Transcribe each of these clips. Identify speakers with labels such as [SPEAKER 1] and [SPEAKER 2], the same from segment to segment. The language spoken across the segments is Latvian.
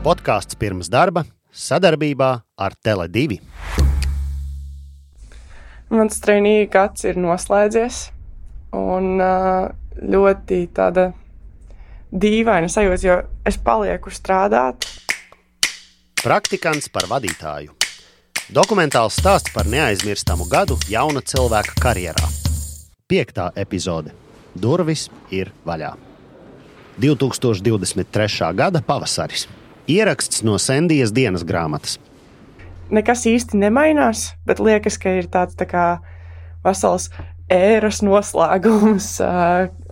[SPEAKER 1] Podkāsts pirms darba sadarbībā ar Tele2.
[SPEAKER 2] Mans trainee gads ir noslēdzies un ļoti tāda dīvaina sajūta, jo es palieku strādāt.
[SPEAKER 1] Praktikants par vadītāju. Dokumentāls stāsts par neaizmirstamu gadu jauna cilvēka karjerā. 5. epizode. Durvis ir vaļā. 2023. gada pavasaris. Ieraksts no Sendijas dienas grāmatas.
[SPEAKER 2] Nekas īsti nemainās, bet liekas, ka ir tāds tā kā vesels ēras noslēgums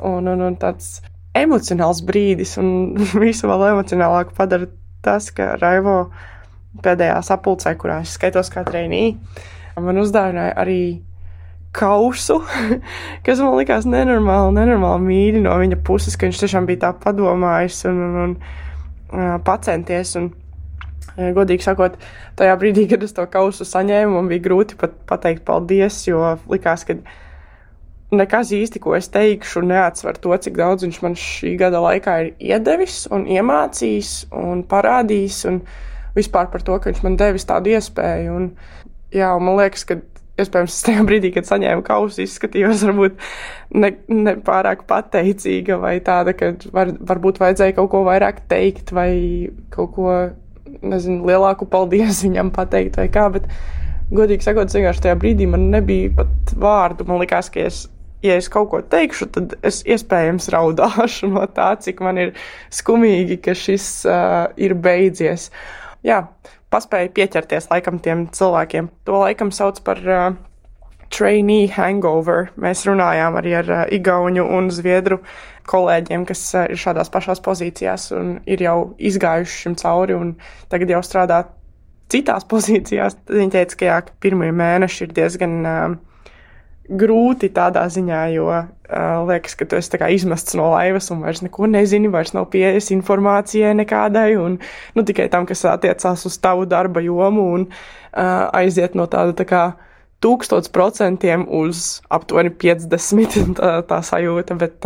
[SPEAKER 2] un tāds emocionāls brīdis. Un visu vēl emocionālāku padara tas, ka Raivo pēdējā sapulcē, kurā es skaitos kā trainee, man uzdāvināja arī kausu, kas man likās nenormāli mīļi no viņa puses, ka viņš tiešām bija tā padomājis un pacenties. Un, godīgi sakot, tajā brīdī, kad es to kausu saņēmu, man bija grūti pat pateikt paldies, jo likās, ka nekas īsti, ko es teikšu, neatsver to, cik daudz viņš man šī gada laikā ir iedevis un iemācījis un parādījis un vispār par to, ka viņš man devis tādu iespēju. Un, jā, un man liekas, ka iespējams tajā brīdī, kad saņēmu kausu, izskatījos varbūt ne pārāk pateicīga vai tāda, ka varbūt vajadzēja kaut ko vairāk teikt vai kaut ko, nezinu, lielāku paldies viņam pateikt vai kā, bet godīgi sakot, vienkārši tajā brīdī man nebija pat vārdu. Man likās, ka ja es kaut ko teikšu, tad es iespējams raudāšu no tā, cik man ir skumīgi, ka šis ir beidzies. Jā, paspēju pieķerties laikam tiem cilvēkiem. To laikam sauc par trainee hangover. Mēs runājām arī ar igauņu un zviedru kolēģiem, kas ir šādās pašās pozīcijās un ir jau izgājuši šim cauri un tagad jau strādā citās pozīcijās. Tad viņi teica, ka jā, pirmie mēneši ir diezgan grūti tādā ziņā, jo liekas, ka tu esi tā kā izmests no laivas un vairs neko nezini, vairs nav pieejas informācijai nekādai un tikai tam, kas attiecās uz tavu darba jomu un aiziet no tāda tā kā 1000% uz aptuveni 50 tā sajūta, bet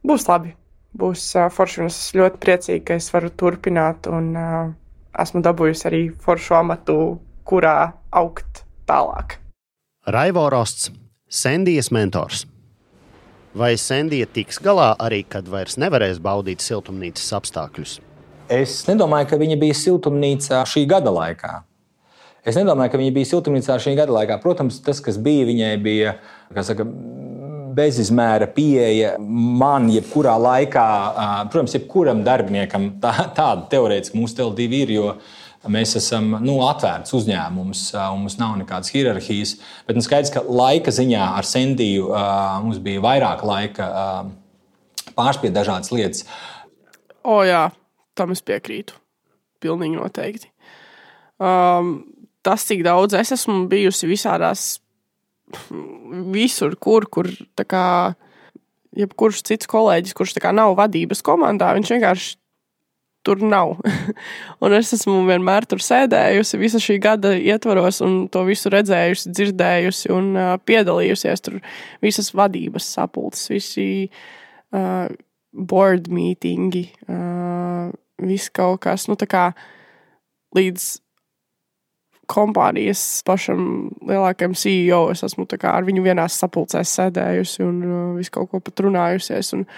[SPEAKER 2] būs labi, būs forši un es ļoti priecīgi, ka es varu turpināt un esmu dabūjusi arī foršu amatu, kurā augt tālāk.
[SPEAKER 1] Raivo Rosts, Sendijas mentors. Vai Sendija tiks galā arī, kad vairs nevarēs baudīt siltumnīcas apstākļus?
[SPEAKER 3] Es nedomāju, ka viņa bija siltumnīcā šī gada laikā. Protams, tas, kas bija, viņai bija, bezizmēra pieeja man jebkurā laikā. Protams, jebkuram darbiniekam tāda teorētiski mūsu Tele2 ir, jo mēs esam atvērts uzņēmums, mums nav nekādas hierarhijas, bet skaidrs, ka laika ziņā ar Sendiju mums bija vairāk laika pārspēt dažādas lietas.
[SPEAKER 2] Jā, tam es piekrītu. Pilnīgi noteikti. Tas, cik daudz es esmu bijusi visādās, visur, kur tā kā jebkurš cits kolēģis, kurš tā kā nav vadības komandā, viņš vienkārši tur nav. Un es esmu vienmēr tur sēdējusi visa šī gada ietvaros un to visu redzējusi, dzirdējusi un piedalījusies tur visas vadības sapulces, visi board meetingi, viss kaut kas, tā kā līdz kompānijas pašam lielākajam CEO es esmu tā kā ar viņu vienās sapulcēs sēdējusi un visu kaut ko pat runājusies un,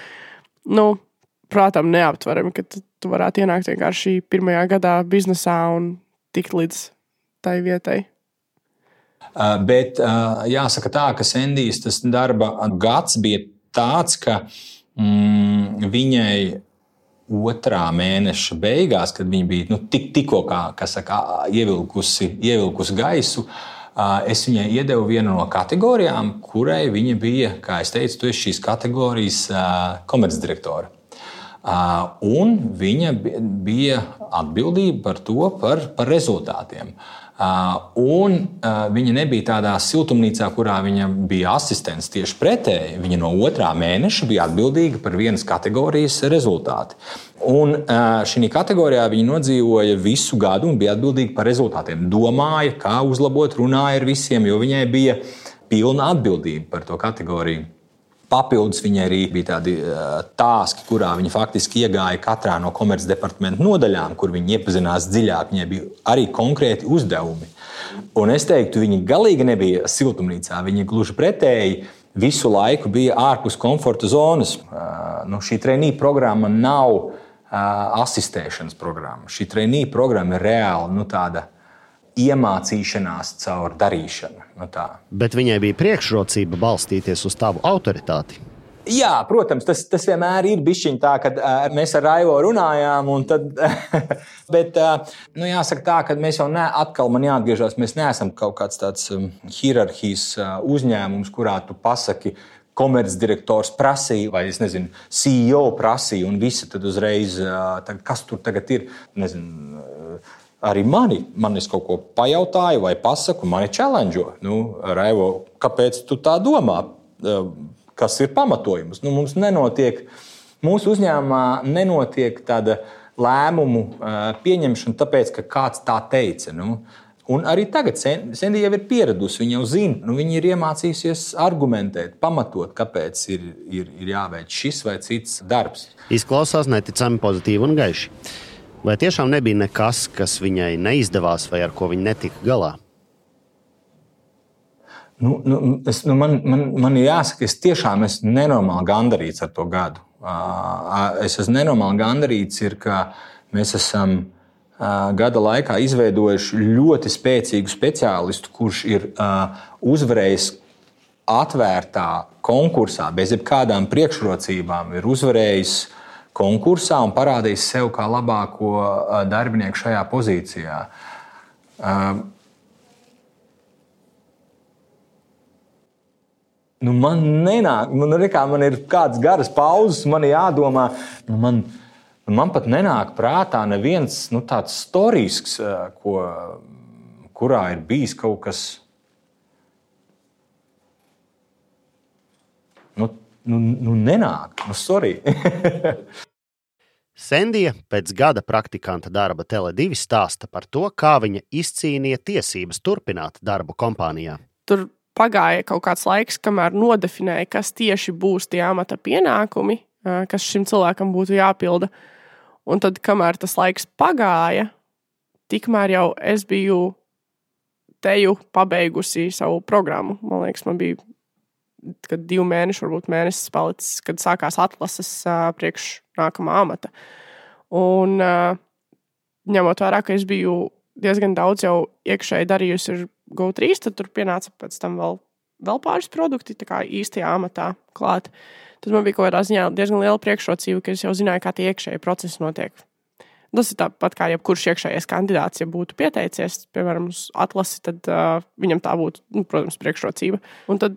[SPEAKER 2] prātam neaptverami, ka tu varētu ienākt vienkārši pirmajā gadā biznesā un tikt līdz tai vietai.
[SPEAKER 3] Bet jāsaka tā, ka Sendijas tas darba gads bija tāds, ka viņai 2. mēneša beigās, kad viņa bija tikko ievilkusi gaisu, es viņai iedevu vienu no kategorijām, kurai viņa bija, kā es teicu, tu esi šīs kategorijas komercdirektora. Un viņa bija atbildība par rezultātiem. Un viņa nebija tādā siltumnīcā, kurā viņa bija asistents, tieši pretēji. Viņa no 2. mēneša bija atbildīga par vienas kategorijas rezultāti. Un šī kategorijā viņa nodzīvoja visu gadu un bija atbildīga par rezultātiem. Domāja, kā uzlabot, runāja ar visiem, jo viņai bija pilna atbildība par to kategoriju. Papildus viņai arī bija tādi tāski, kurā viņa faktiski iegāja katrā no komercdepartamenta nodaļām, kur viņa iepazinās dziļāk. Viņai bija arī konkrēti uzdevumi. Un es teiktu, viņa galīgi nebija siltumnīcā. Viņa gluži pretēji visu laiku bija ārpus komforta zonas. Šī trainee programma nav asistēšanas programma. Šī trainee programma ir reāli tāda iemācīšanās caur darīšanu.
[SPEAKER 1] Bet viņai bija priekšrocība balstīties uz tavu autoritāti.
[SPEAKER 3] Jā, protams, tas vienmēr ir bišķiņ tā, kad mēs ar Raivo runājām. Tad, bet jāsaka tā, ka mēs jau atkal man jāatgriežas, mēs neesam kaut kāds tāds hierarhijas uzņēmums, kurā tu pasaki, komercdirektors prasīja, vai es nezinu, CEO prasīja, un visi tad uzreiz, kas tur tagad ir, nezinu, arī man es kaut ko pajautāju vai pasaku, mani challenge'o. Raivo, kāpēc tu tā domā? Kas ir pamatojums? Mums nenotiek, mūsu uzņēmumā nenotiek tāda lēmumu pieņemšana, tāpēc, ka kāds tā teica. Un arī tagad Sandy jau ir pieradusi, viņa jau zina, viņa ir iemācījusies argumentēt, pamatot, kāpēc ir jāveic šis vai cits darbs.
[SPEAKER 1] Izklausās neticami pozitīvi un gaiši. Vai tiešām nebija nekas, kas viņai neizdevās vai ar ko viņa netika galā?
[SPEAKER 3] Man ir jāsaka, es tiešām esmu nenormāli gandarīts ar to gadu. Es esmu nenormāli gandarīts, ka mēs esam gada laikā izveidojuši ļoti spēcīgu speciālistu, kurš ir uzvarējis atvērtā konkursā bez jebkādām priekšrocībām, ir uzvarējis konkursā un parādījis sev kā labāko darbinieku šajā pozīcijā. Man nenāk, man ir kādas garas pauzes, man jādomā, man pat nenāk prātā neviens tāds storisks, kurā ir bijis kaut kas. Nenāk, sorry.
[SPEAKER 1] Sendija pēc gada praktikanta darba Tele2 stāsta par to, kā viņa izcīnīja tiesības turpināt darbu kompānijā.
[SPEAKER 2] Tur pagāja kaut kāds laiks, kamēr nodefinēja, kas tieši būs tie amata pienākumi, kas šim cilvēkam būtu jāpilda. Un tad, kamēr tas laiks pagāja, tikmēr jau es biju teju pabeigusi savu programmu. Man liekas, man bija kad 2 mēneši, varbūt mēnesis palicis, kad sākās atlases priekš nākamā amata. Un ņemot vērā, ka es biju diezgan daudz jau iekšēji darījusi ar Go3, tad tur pienāca pēc tam vēl pāris produkti, tā kā īstajā amatā klāt. Tad man bija kaut kādā ziņā diezgan liela priekšrocība, ka es jau zināju, kā tie iekšēji procesi notiek. Tas ir tāpat kā jebkurš iekšējais kandidāts, ja būtu pieteicies, piemēram, uz atlasi, tad viņam tā būtu, protams, priekšrocība. Un tad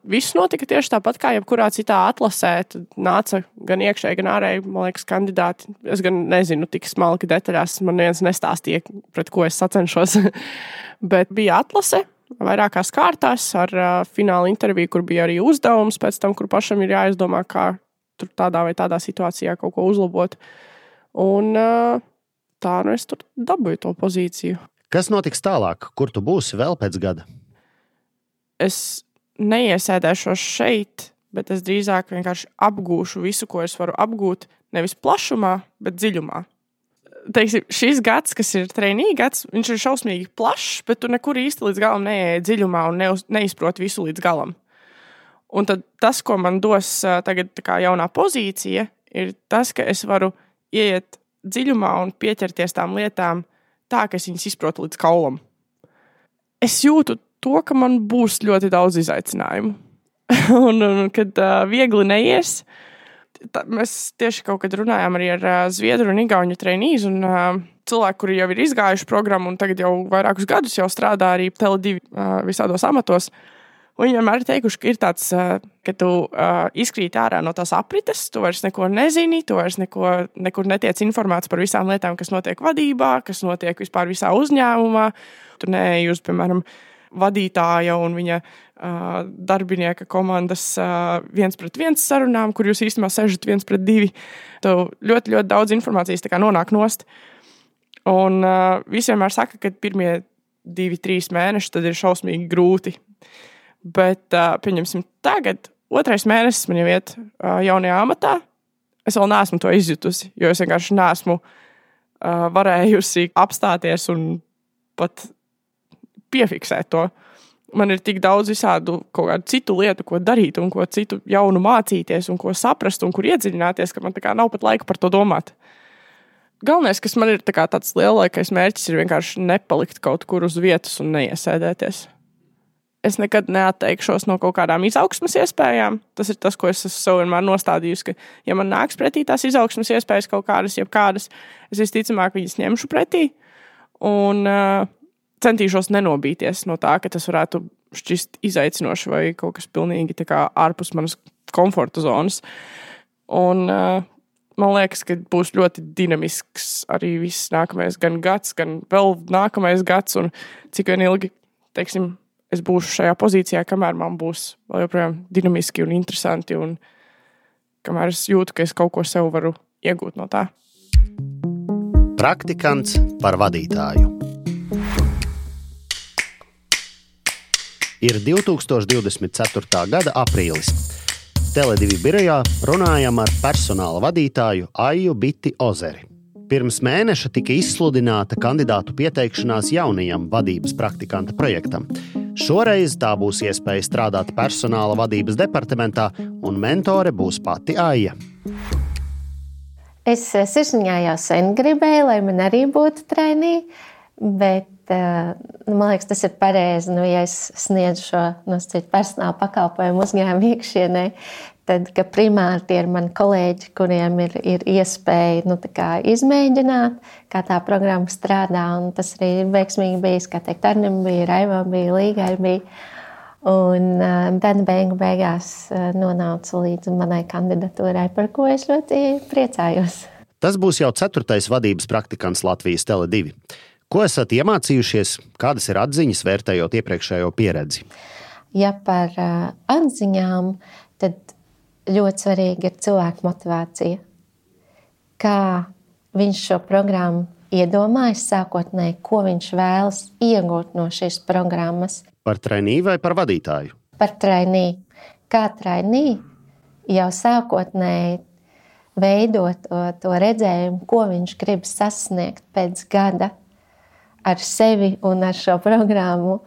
[SPEAKER 2] viss notika tieši tāpat kā jebkurā citā atlasē. Tad nāca gan iekšēji, gan ārēji, man liekas, kandidāti. Es gan nezinu tik smalki detaļās, man neviens nestāstīja, pret ko es sacenšos. Bet bija atlase vairākās kārtās ar fināla interviju, kur bija arī uzdevums pēc tam, kur pašam ir jāizdomā, kā tur tādā vai tādā situācijā kaut ko uzlabot. Un tā es tur dabūju to pozīciju.
[SPEAKER 1] Kas notiks tālāk? Kur tu būsi vēl pēc gada?
[SPEAKER 2] Es neiesēdēšos šeit, bet es drīzāk vienkārši apgūšu visu, ko es varu apgūt, nevis plašumā, bet dziļumā. Teiksim, šis gads, kas ir trainee gads, viņš ir šausmīgi plašs, bet tu nekur īsti līdz galam neieej dziļumā un neizproti visu līdz galam. Un tad tas, ko man dos tagad tā kā jaunā pozīcija, ir tas, ka es varu ieiet dziļumā un pieķerties tām lietām tā, ka es viņas izprotu līdz kaulam. Es jūtu to, ka man būs ļoti daudz izaicinājumu. un kad viegli neies, mēs tieši kaut kad runājām arī ar zviedru un igauņu trainees un cilvēku, kuri jau ir izgājuši programmu un tagad jau vairākus gadus jau strādā arī Tele2 visādos amatos. Viņi vienmēr ir teikuši, ka ir tāds, ka tu izkrīt ārā no tās aprites, tu vairs neko nezini, tu vairs nekur netiec informēts par visām lietām, kas notiek vadībā, kas notiek vispār visā uzņēmumā. Tu neej uz, piemēram, vadītāja un viņa darbinieka komandas 1-pret-1 sarunām, kur jūs īstenībā sežat 1-pret-2. Tu ļoti, ļoti daudz informācijas tā kā nonāk nost. Un visi vienmēr saka, ka pirmie 2-3 mēneši tad ir šausmīgi grūti. Bet, pieņemsim, tagad otrais mēnesis man jau iet jaunajā amatā. Es vēl neesmu to izjutusi, jo es vienkārši neesmu varējusi apstāties un pat piefiksēt to. Man ir tik daudz visādu kaut kādu citu lietu, ko darīt un ko citu jaunu mācīties un ko saprast un kur iedziļināties, ka man tā kā nav pat laika par to domāt. Galvenais, kas man ir tāds lielākais mērķis, ir vienkārši nepalikt kaut kur uz vietas un neiesēdēties. Es nekad neatteikšos no kaut kādām izaugsmes iespējām. Tas ir tas, ko es esmu sev vienmēr nostādījusi, ka, ja man nāks pretī tās izaugsmes iespējas kaut kādas, jebkādas, es visticamāk viņas ņemšu pretī un centīšos nenobīties no tā, ka tas varētu šķist izaicinoši vai kaut kas pilnīgi tā kā ārpus manas komforta zonas. Un man liekas, ka būs ļoti dinamisks arī viss nākamais gan gads, gan vēl nākamais gads, un cik vien ilgi, teiksim, es būšu šajā pozīcijā, kamēr man būs vēl joprojām dinamiski un interesanti, un kamēr es jūtu, ka es kaut ko sev varu iegūt no tā.
[SPEAKER 1] Praktikants par vadītāju. Ir 2024. gada aprīlis. Tele2 birojā runājam ar personāla vadītāju Aiju Biti Ozeri. Pirms mēneša tika izsludināta kandidātu pieteikšanās jaunajam vadības praktikanta projektam. Šoreiz tā būs iespēja strādāt personāla vadības departamentā, un mentore būs pati Aija.
[SPEAKER 4] Es sirsniņā jau sen gribēju, lai man arī būtu trainī, bet man liekas, tas ir pareizi, ja es sniedzu šo personāla pakalpojumu uzņēmumu iekšienē, tad, ka primāri tie ir mani kolēģi, kuriem ir iespēja izmēģināt, kā tā programma strādā, un tas arī ir veiksmīgi bijis, kā teikt, Arnim bija, Raivam bija, Līgai bija, un tad beigās nonāca līdz manai kandidatūrai, par ko es ļoti priecājos.
[SPEAKER 1] Tas būs jau 4. vadības praktikants Latvijas Tele2. Ko esat iemācījušies, kādas ir atziņas, vērtējot iepriekšējo pieredzi?
[SPEAKER 4] Ja par atziņām, tad ļoti svarīga ir cilvēku motivācija. Kā viņš šo programmu iedomājas sākotnēji, ko viņš vēlas iegūt no šīs programmas.
[SPEAKER 1] Par trainī vai par vadītāju?
[SPEAKER 4] Par trainī. Kā trainī jau sākotnēji veidot to redzējumu, ko viņš grib sasniegt pēc gada ar sevi un ar šo programmu,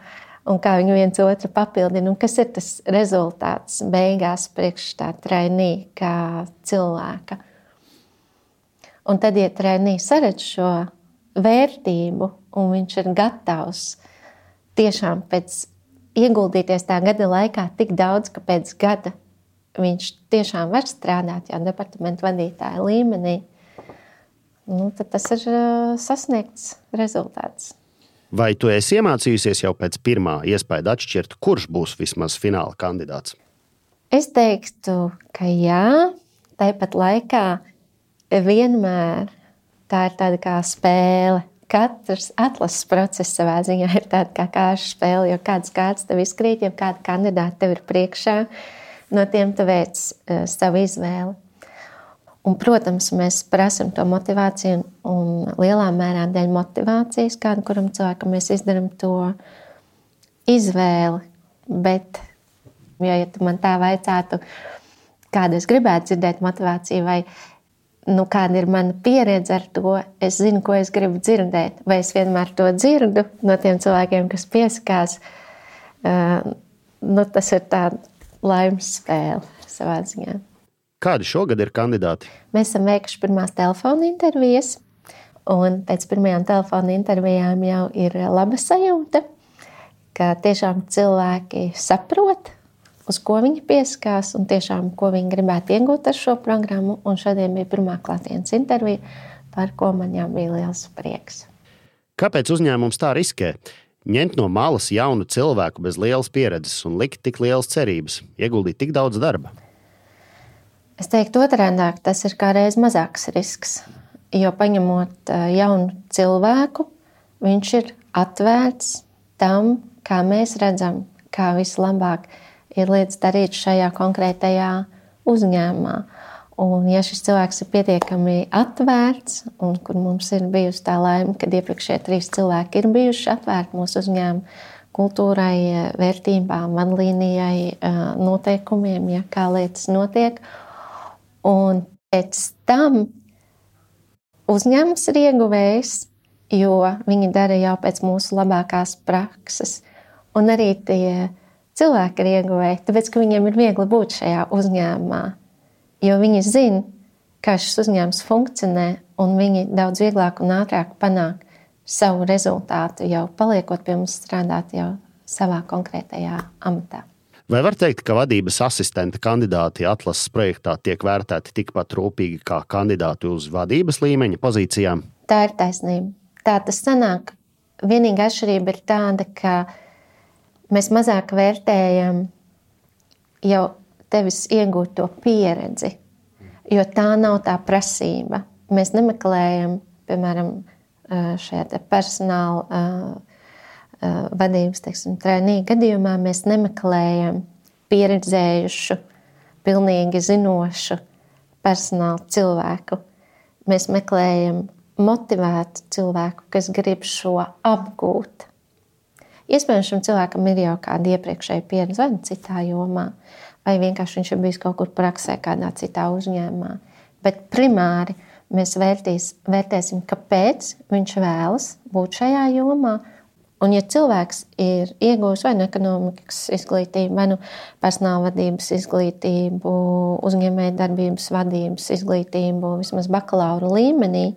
[SPEAKER 4] un kā viņi viens otru papildina, un kas ir tas rezultāts beigās priekš tā trainī kā cilvēka. Un tad, ja trainī saredz šo vērtību, un viņš ir gatavs tiešām ieguldīties tā gada laikā tik daudz, ka pēc gada viņš tiešām var strādāt jau departamentu vadītāja līmenī, tad tas ir sasniegts rezultāts.
[SPEAKER 1] Vai tu esi iemācījusies jau pēc pirmā iespēja atšķirt, kurš būs vismaz fināla kandidāts?
[SPEAKER 4] Es teiktu, ka jā, tāpat laikā vienmēr tā ir tāda kā spēle. Katrs atlases process savā ziņā ir tāda kā kāršu spēle, jo kādas kārtas tev izkrīt, ja kāda kandidāta tev ir priekšā, no tiem tu veic savu izvēli. Un, protams, mēs prasam to motivāciju un lielā mērā dēļ motivācijas, kādu kuram cilvēkam mēs izdaram to izvēli. Bet, ja tu man tā vaicātu, kādu es gribētu dzirdēt motivāciju vai kāda ir mana pieredze ar to, es zinu, ko es gribu dzirdēt. Vai es vienmēr to dzirdu no tiem cilvēkiem, kas piesakās. Tas ir tā laimes spēle savā ziņā.
[SPEAKER 1] Kādi šogad ir kandidāti?
[SPEAKER 4] Mēs esam veikuši pirmās telefona intervijas, un pēc pirmajām telefona intervijām jau ir laba sajūta, ka tiešām cilvēki saprot, uz ko viņi pieskās un tiešām, ko viņi gribētu iegūt ar šo programmu. Un šodien bija pirmā klātienes intervija, par ko man jau bija liels prieks.
[SPEAKER 1] Kāpēc uzņēmums tā riskē? Ņemt no malas jaunu cilvēku bez lielas pieredzes un likt tik lielas cerības, ieguldīt tik daudz darba?
[SPEAKER 4] Es teiktu otrādāk, tas ir kā reiz mazāks risks, jo paņemot jaunu cilvēku, viņš ir atvērts tam, kā mēs redzam, kā vislabāk ir lietas darīt šajā konkrētajā uzņēmumā. Un ja šis cilvēks ir pietiekami atvērts, un kur mums ir bijusi tā laime, kad iepriekšējie 3 cilvēki ir bijuši atvērti mūsu uzņēmumu, kultūrai, vērtībām, vadlīnijai, noteikumiem, ja, kā lietas notiek. Un pēc tam uzņēmums ir ieguvējis, jo viņi dara jau pēc mūsu labākās prakses. Un arī tie cilvēki ir ieguvēji, tāpēc, ka viņiem ir viegli būt šajā uzņēmumā. Jo viņi zina, kā šis uzņēmums funkcionē, un viņi daudz vieglāk un ātrāk panāk savu rezultātu, jau paliekot pie mums strādāt jau savā konkrētajā amatā.
[SPEAKER 1] Vai var teikt, ka vadības asistenta kandidāti atlases projektā tiek vērtēti tikpat rūpīgi kā kandidāti uz vadības līmeņa pozīcijām?
[SPEAKER 4] Tā ir taisnība. Tā tas sanāk. Vienīgā atšķirība ir tāda, ka mēs mazāk vērtējam jau tevis iegūto pieredzi, jo tā nav tā prasība. Mēs nemeklējam, piemēram, šajā personāla vadības, trēnīga gadījumā mēs nemeklējam pieredzējušu, pilnīgi zinošu personāla cilvēku. Mēs meklējam motivētu cilvēku, kas grib šo apgūt. Iespējams, šim cilvēkam ir jau kāda iepriekšēja pieredze vai citā jomā, vai vienkārši viņš ir bijis kaut kur praksē kādā citā uzņēmumā. Bet primāri mēs vērtēsim, kāpēc viņš vēlas būt šajā jomā. Un, ja cilvēks ir iegūs vai nu ekonomikas izglītību, vai nu personāla vadības izglītību, uzņēmējdarbības vadības izglītību, vismaz bakalaura līmenī,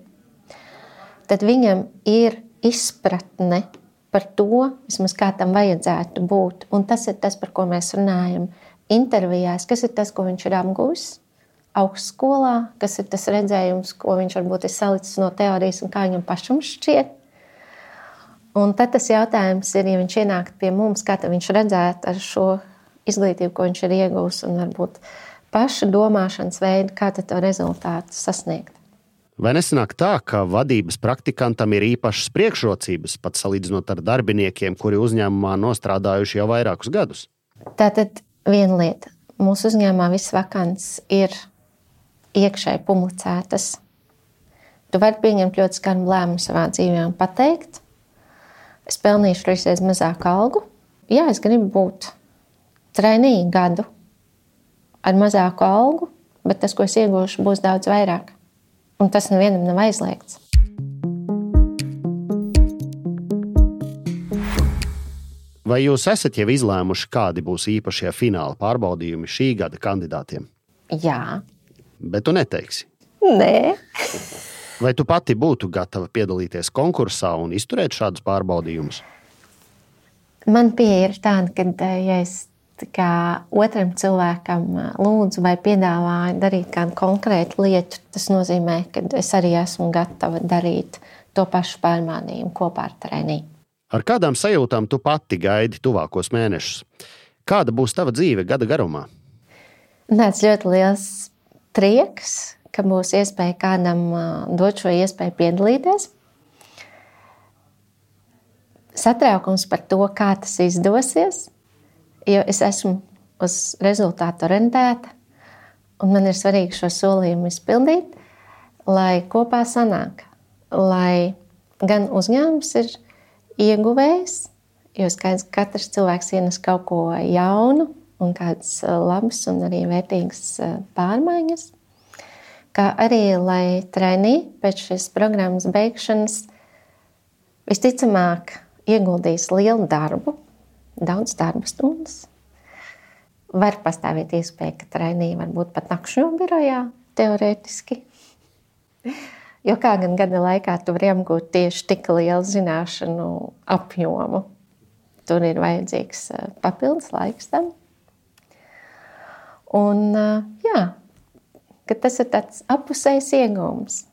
[SPEAKER 4] tad viņam ir izpratne par to, vismaz kā tam vajadzētu būt. Un tas ir tas, par ko mēs runājam intervijās, kas ir tas, ko viņš ir apgūs augstskolā, kas ir tas redzējums, ko viņš varbūt ir salicis no teorijas un kā viņam pašam šķiet. Un tad tas jautājums ir, ja viņš ienāk pie mums, kā viņš redzētu ar šo izglītību, ko viņš ir iegūs, un varbūt paša domāšanas veidu, kā to rezultātu sasniegt.
[SPEAKER 1] Vai nesanāk tā, ka vadības praktikantam ir īpašas priekšrocības, pat salīdzinot ar darbiniekiem, kuri uzņēmumā nostrādājuši jau vairākus gadus?
[SPEAKER 4] Tātad viena lieta. Mūsu uzņēmumā viss vakants ir iekšēji publicētas. Tu vari pieņemt ļoti skarbu lēmumu savā dzīvē un pateikt, es pelnīšu reizes mazāku algu. Jā, es gribu būt trēnīgi gadu ar mazāku algu, bet tas, ko es iegūšu, būs daudz vairāk. Un tas nevienam nav aizliegts.
[SPEAKER 1] Vai jūs esat jau izlēmuši, kādi būs īpašie fināla pārbaudījumi šī gada kandidātiem?
[SPEAKER 4] Jā.
[SPEAKER 1] Bet tu neteiksi?
[SPEAKER 4] Nē.
[SPEAKER 1] Vai tu pati būtu gatava piedalīties konkursā un izturēt šādus pārbaudījumus?
[SPEAKER 4] Man pieeja ir tāda, ka ja es otram cilvēkam lūdzu vai piedāvāju darīt kādu konkrētu lietu, tas nozīmē, ka es arī esmu gatava darīt to pašu pārmānījumu kopā ar trēniju.
[SPEAKER 1] Ar kādām sajūtām tu pati gaidi tuvākos mēnešus? Kāda būs tava dzīve gada garumā?
[SPEAKER 4] Tāds ļoti liels prieks, ka būs iespēja kādam dot šo iespēju piedalīties. Satraukums par to, kā tas izdosies, jo es esmu uz rezultātu orientēta, un man ir svarīgi šo solījumu izpildīt, lai kopā sanāk, lai gan uzņēmums ir ieguvējs, jo skaidrs, ka katrs cilvēks ienes kaut ko jaunu un kādas labas un arī vērtīgas pārmaiņas, kā arī, lai trēnī pēc šīs programmas beigšanas visticamāk ieguldīs lielu darbu, daudz darba stundas. Var pastāvēt iespēja, ka trēnī var būt pat nakšņo birojā, teorētiski. Jo kā gan gada laikā tu vari apgūt tieši tik lielu zināšanu apjomu. Tur ir vajadzīgs papildus laiks tam. Un jā, ka tas ir tāds apusējs iegūms.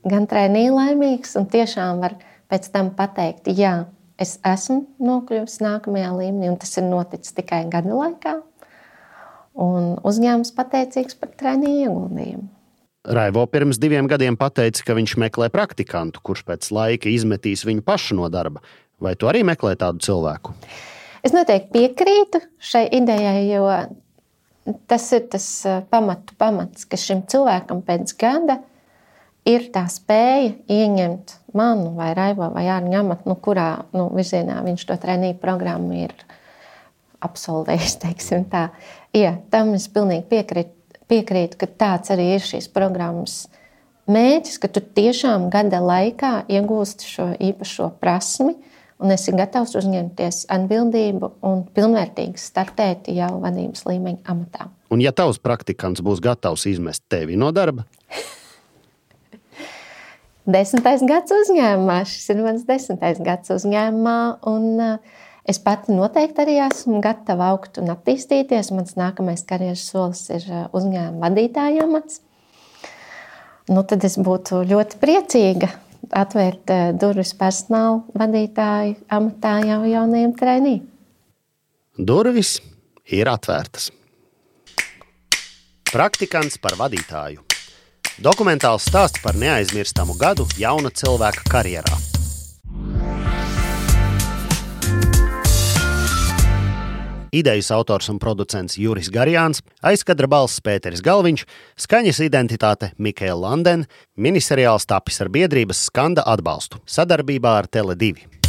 [SPEAKER 4] Gan trēnī laimīgs un tiešām var pēc tam pateikt, jā, es esmu nokļuvis nākamajā līmenī un tas ir noticis tikai gada laikā. Un uzņēmums pateicīgs par trēnī ieguldījumu.
[SPEAKER 1] Raivo pirms 2 gadiem pateica, ka viņš meklē praktikantu, kurš pēc laika izmetīs viņu pašu no darba. Vai tu arī meklē tādu cilvēku?
[SPEAKER 4] Es noteikti piekrītu šai idejai, jo tas ir tas pamats, ka šim cilvēkam pēc gada ir tā spēja ieņemt manu vai Raivo vai Ārņa amatu, kurā virzienā viņš to treniņu programmu ir absolvējis, teiksim tā. Jā, tam es pilnīgi piekrītu, ka tāds arī ir šīs programmas mērķis, ka tu tiešām gada laikā iegūsti šo īpašo prasmi un esi gatavs uzņemties atbildību un pilnvērtīgi startēt jau vadības līmeņa amatā.
[SPEAKER 1] Un ja tavs praktikants būs gatavs izmest tevi no darba?
[SPEAKER 4] 10. gads uzņēmumā. Šis ir mans 10. gads uzņēmumā, un es pati noteikti arī esmu gatava augt un attīstīties. Mans nākamais karjeras solis ir uzņēmuma vadītāja amats. Tad es būtu ļoti priecīga atvērt durvis personāla vadītāju amatā jau jaunajiem treinījiem.
[SPEAKER 1] Durvis ir atvērtas. Praktikants par vadītāju. Dokumentāls stāsts par neaizmirstamu gadu jauna cilvēka karjerā. Idejas autors un producents Juris Garjāns, aizkadra balss Pēteris Galviņš, skaņas identitāte Mikaela Landen, miniseriāls tapis ar biedrības Skanda atbalstu sadarbībā ar Tele2.